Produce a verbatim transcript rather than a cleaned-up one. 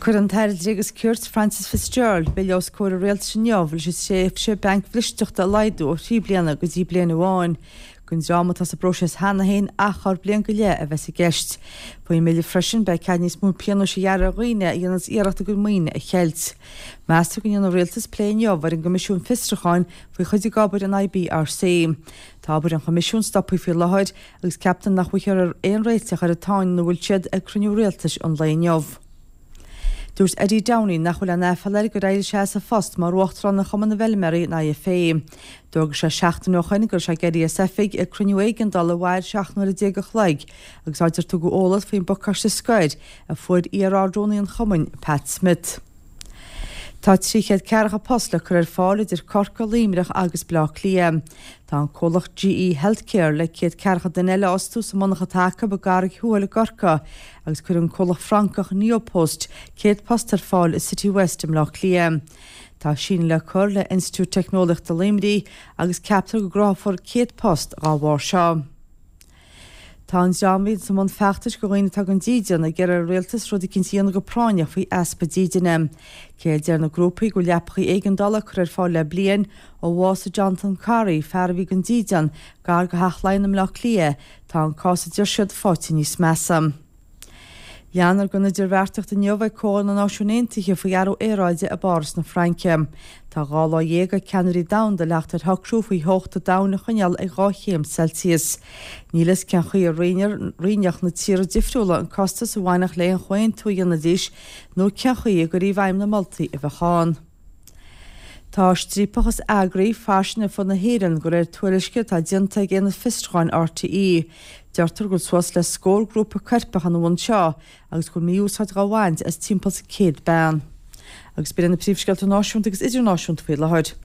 Cuirfidh an tAire Dlí agus Cirt Frances Fitzgerald bille os comhair an rialtais inniu leis an tréimhse bancbhristeachta a laghdú ó thrí bliana go dtí bliain amháin. Don dream atá sa bpróiseas cheana féin achar bliain go leith a bheas i gceist. Faoin mbille freisin beidh cead níos mó pionóis a ghearradh ar dhaoine a dhéananns iarracht a gcuid maoine a cheilt. Meastar go ndéanfaidh an rialtas plé inniu ar an gCoimisiún Fiosrúcháin faoi chuid de obair an IBRC. Tá obair an Choimisiúin stoptha faoi láthair agus ceaptar nach bhfaighfear aon réiteach ar an tsáinn ina bhfuil siad ag cruinniú rialtais an lae inniu. Dúirt Eddie Downey nach bhfuil aon aiféala air gur éirigh sé as a phost mar uachtarán ar Chumann na bhFeilméaraí an IFA. D'fhógair sé seachtain ó shin go raibh sé ag éirí as oifig ag cruinniú éigeandála a mhair seacht n-uaire déag a chloig agus áit ar tugadh eolas faoin bpacáiste scoir a fuair iar-ardrúnaí an chumainn Pat Smith. Tá trí chéad ceathracha post le cur ar fáil idir Corcaigh, Luimneach agus Baile Átha Cliath. Tá an comhlacht GE Healthcare le céad ceathracha duine eile a fhostú sa monarcha atá acu i gCarraig Thuathail i gCorcaigh agus cuirfidh an comhlacht Francach Neopost céad post ar fáil i City West i mBaile Átha Cliath. Tá síneadh le cur le Institiúid Teicneolaíochta Luimnigh agus ceaptar go gcruthófar céad post dá bharr seo. Tá an dream a bhíonn i mbun feachtais do dhaoine atá gan dídean ag iarraidh ar an rialtas rud eicínt a dhéanamh go práinneach faoi easpa dídine. Cé a deir na grúpaí go bhfuil leapachaí éigeandála curtha ar fáil le bliain ó bhásaigh Jonathan Corrie, fear a bhí gan dídean, gar do Theach Laighean i mBaile Átha Cliath, tá an cás a deir siad faighte níos measa. Leanfar den idirbheartaíocht inniu ag Comhdháil na Náisiún Aontaithe faoi athrú aeráide i bPáras na Fraince. Tá dhá lá dhéag ag ceannairí domhanda le theacht ar shocrú faoi theocht an domhain a choinneáil ag dhá chéim Celsius. Níl a fhios cén chaoi a roinnfeadh na tíortha difriúla an costas a bhainfeadh le haon chomhaontú a dhéanfaidís nó cén chaoi a gcuirfí i bhfeidhm na moltaí a bheadh ann. Tá striapachas eagraithe fairsing ar fud na hÉireann de réir tuairisce atá déanta ag Aonad Fiosrúcháin RTÉ. Deirtear go bhfuil suas le scór grúpa coirpeach ina bhun seo agus go bhfuil mí-úsáid á bhaint as timpeall céad bean. Agus b'in na príomhscéalta náisiúnta agus idirnáisiúnta faoi láthair.